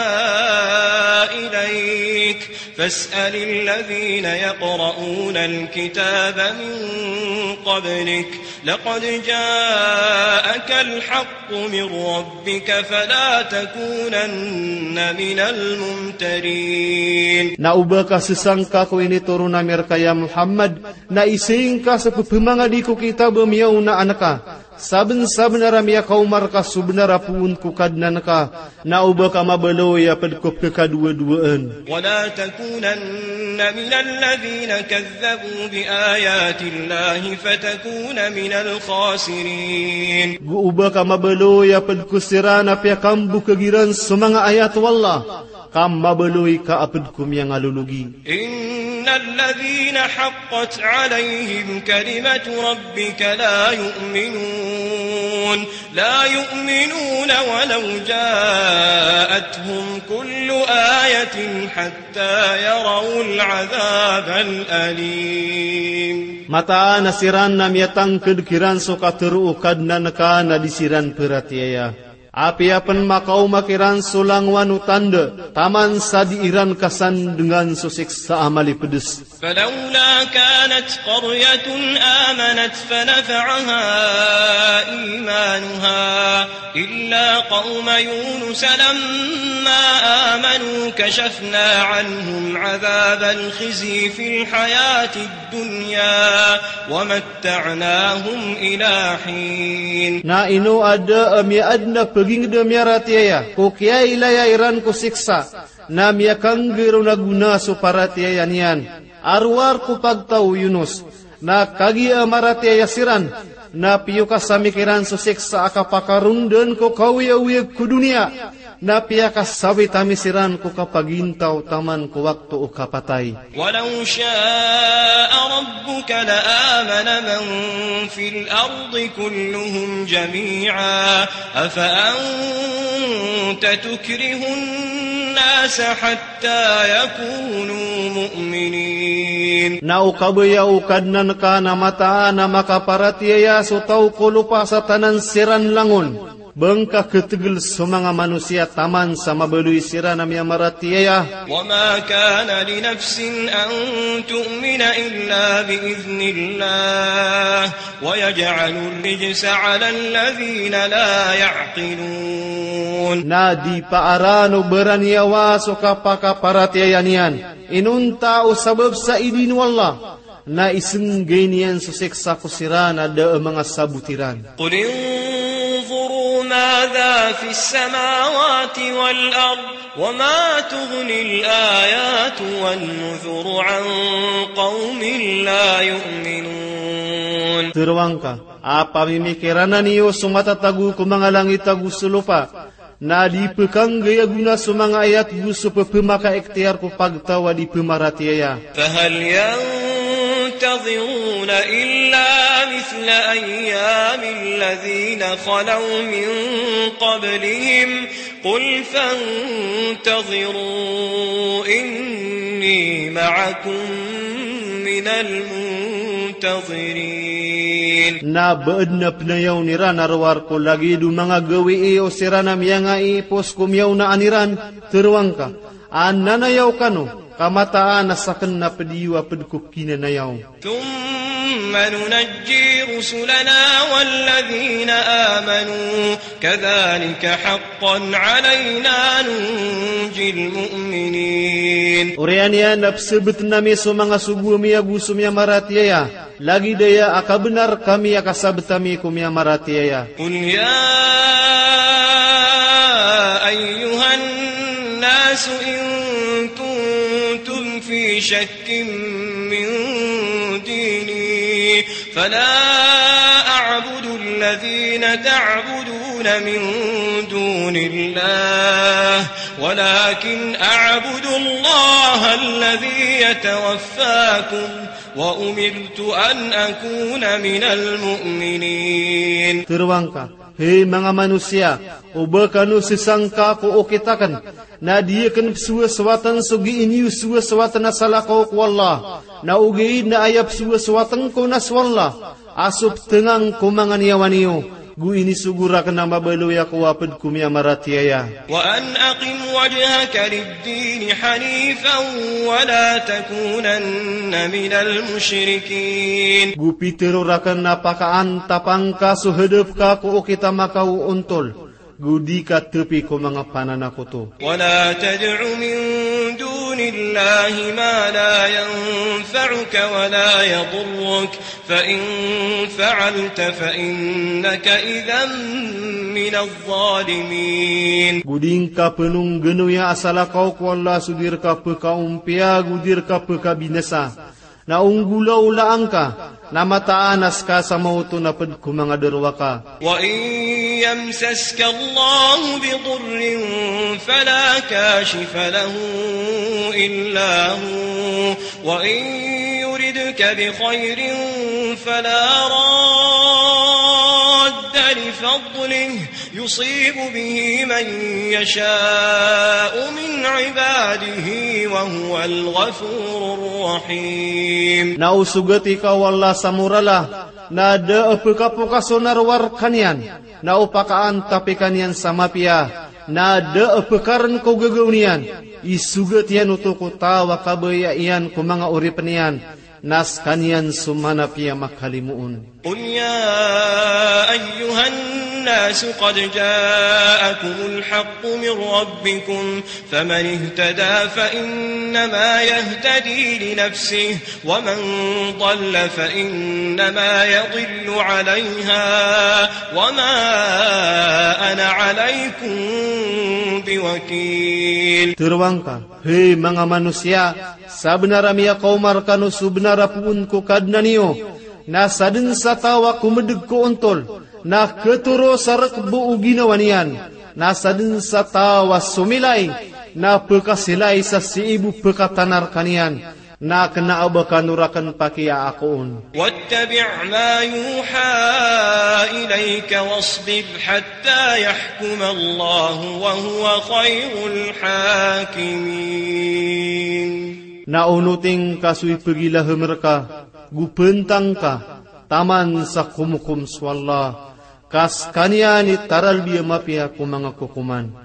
إليك فاسأل الذين يقرؤون الكتاب من قبلك لقد جاءك الحق من ربك فلا تكونن من الممترين. Na o ba ka sasangka ko initoron ami rka ya Muhammad, na isingka sa pphmangadi ko kitab a miyaonaan ka. Sabnsabnar a miyakaoma rka so bnar a poon ko Kadnan ka, na o ba ka mabaloy a pd ko pkhadowadowaan. ولا تكونن من الذين كذبوا بآيات الله فتكون من الخاسرين. Go o ba ka mabaloy a pd ko siran a piyakambokag iran so manga ayat o Allah, ka mabaloy ka a pd ko miyangalologi. إن الذين حقت عليهم كلمة ربك لا يؤمنون، لا يؤمنون ولو جاءتهم كل آية حتى يروا العذاب الأليم. Mataan a siran na miyatangkd kiran so katharo o Kadnan ka na di siran pharatiyaya. Apiya pn makaoma kiran so langowan o tanda, taman sa di iran kasandngan so siksa a malipds. فلولا كانت قرية آمنت فنفعها إيمانها إلا قوم يونس لما آمنوا كشفنا عنهم عذاب الخزي في الحياة الدنيا ومتعناهم إلى حين. Na ino a da a miyaadn a pagingd a miyaratiyaya ko kiyailaya iran ko siksa, na miyakanggay ron a gona so paratiyaya niyan a rowar ko pagtaw o Yunus. Na kagiya a maratiyaya siran, na piyokas ami kiran so siksa a kapakarondaan ko kaoyagoyag ko doniya, na piyakasawit ami siran ko kapagintaw taman ko wakto o kapatay. ولو شاء ربك لآمن من في الأرض كلهم جميعا أفأنت تكره الناس حتى يكونوا مؤمنين. Na o kabaya o Kadnan ka na mataan a makaparatiyaya so taw ko lopa sa tanan siran langon, ba ngka khatgl so manga manosiya taman sa mabaloy siran a miyamaratiyaya. وما كان لنفس أن تؤمن إلا بإذن الله ويجعل الرجس على الذين لا يعقلون. Na di paaraan o baraniyawa so kapakaparatiyaya niyan inonta o sabap sa idin o Allah, na isnggay niyan so siksa ko siran a da a manga sabot iran. قل انظروا ماذا في السماوات والأرض وما تغني الآيات والنذر عن قوم لا يؤمنون. Tharoa ngka, a pamimikirana niyo so matatago ko manga langit ago so lopa, na di pkhanggay a gona so manga ayat go so pphamakaikhtiyar ko pagtaw a di pmaratiyaya. فهل ينتظرون إلا مثل أيام الذين خلوا من قبلهم قل فانتظروا إني معكم من المنتظرين. Na ba adn a pnayawn iran a rowar ko lagid o manga gawii o siran a miyangaiipos ko miyaonaan iran? Tharoa ngka, a nanayaw kano, ka mataan a sakn na pd iyo a pd ko kinanayaw. ثم ننجي رسلنا والذين آمنوا كذلك حقا علينا ننجي المؤمنين. Oriyan iyan na psbtn ami so manga sogo ami ago so miyamaratiyaya, lagid aya a kabnar kami a kasabt ami ko miyamaratiyaya. قل يا أيها الناس إن كنتم في شك من ديني فلا أعبد الذين تعبدون من دون الله ولكن أعبد الله الذي يتوفاكم وأمرت أن أكون من المؤمنين. Tero angka, hay manga manosiya, o ba kano sesangka ko okit aken, na di aken pesowasowatan so gii niyo sowasowatan a salakaw ko Allah, na ogaid na aya pesowasowatan ko na so Allah a so petengang ko manga niyawa niyo, go inisogo raken a mabaloy ako a ped ko miyamaratiyaya. وأن أقم وجهك للدين حنيفا ولا تكونن من المشركين. Go pitero raken a pakaantapa ngka so hedep ka ko okit a makaoontol, go di ka tepi ko manga pananakoto. ولا تدع من دون الله ما لا ينفعك ولا يضرك، فإن فعلت فإنك إذا من الظالمين. Go di ngka penonggenoya a salakaw ko Allah so di reka pekaompiya, go di reka pekabinasa. Na onggolaola angka, na mataan a seka sa maoto na ped ko manga derowaka. وإن يمسسك الله بضر فلا كاشف له إلا هو، وإن يردك بخير فلا راد لفضله، يصيب به من يشاء من عباده وهو الغفور الرحيم. Na o sogati ka o Allah sa morala, na da a pekapokas o narowar kaniyan, na o pakaantapi kaniyan sa mapiya, na da a pekaren ko gagaw niyan, isogat iyan oto ko taw a kabaya iyan ko manga oripen iyan, na sekaniyan so manapiya makalimoon. قل يا أيها الناس قد جاءكم الحق من ربكم، فمن اهتدى فإنما يهتدي لنفسه، ومن ضل فإنما يضل عليها، وما أنا عليكم بوكيل. Tero angka, hay manga manosiya, sabenar a miyakaoma rekano so benar a poon ko Kadnan iyo, na saden sa taw a komedeg ko ontol, na ketoro sa rekebo o ginawa niyan, na saden sa taw a somilay, na pekasilay sa sii bo pekatanar kaniyan, na kena a ba kano raken pakiyaakoon. واتبع ما يوحى إليك واصبر حتى يحكم الله وهو خير الحاكمين. Na onoti ngka so ipegilahem reka, go pentang ka, taman sa komokom so Allah, ka sekaniyan i taralbi a mapiya ko manga kokoman.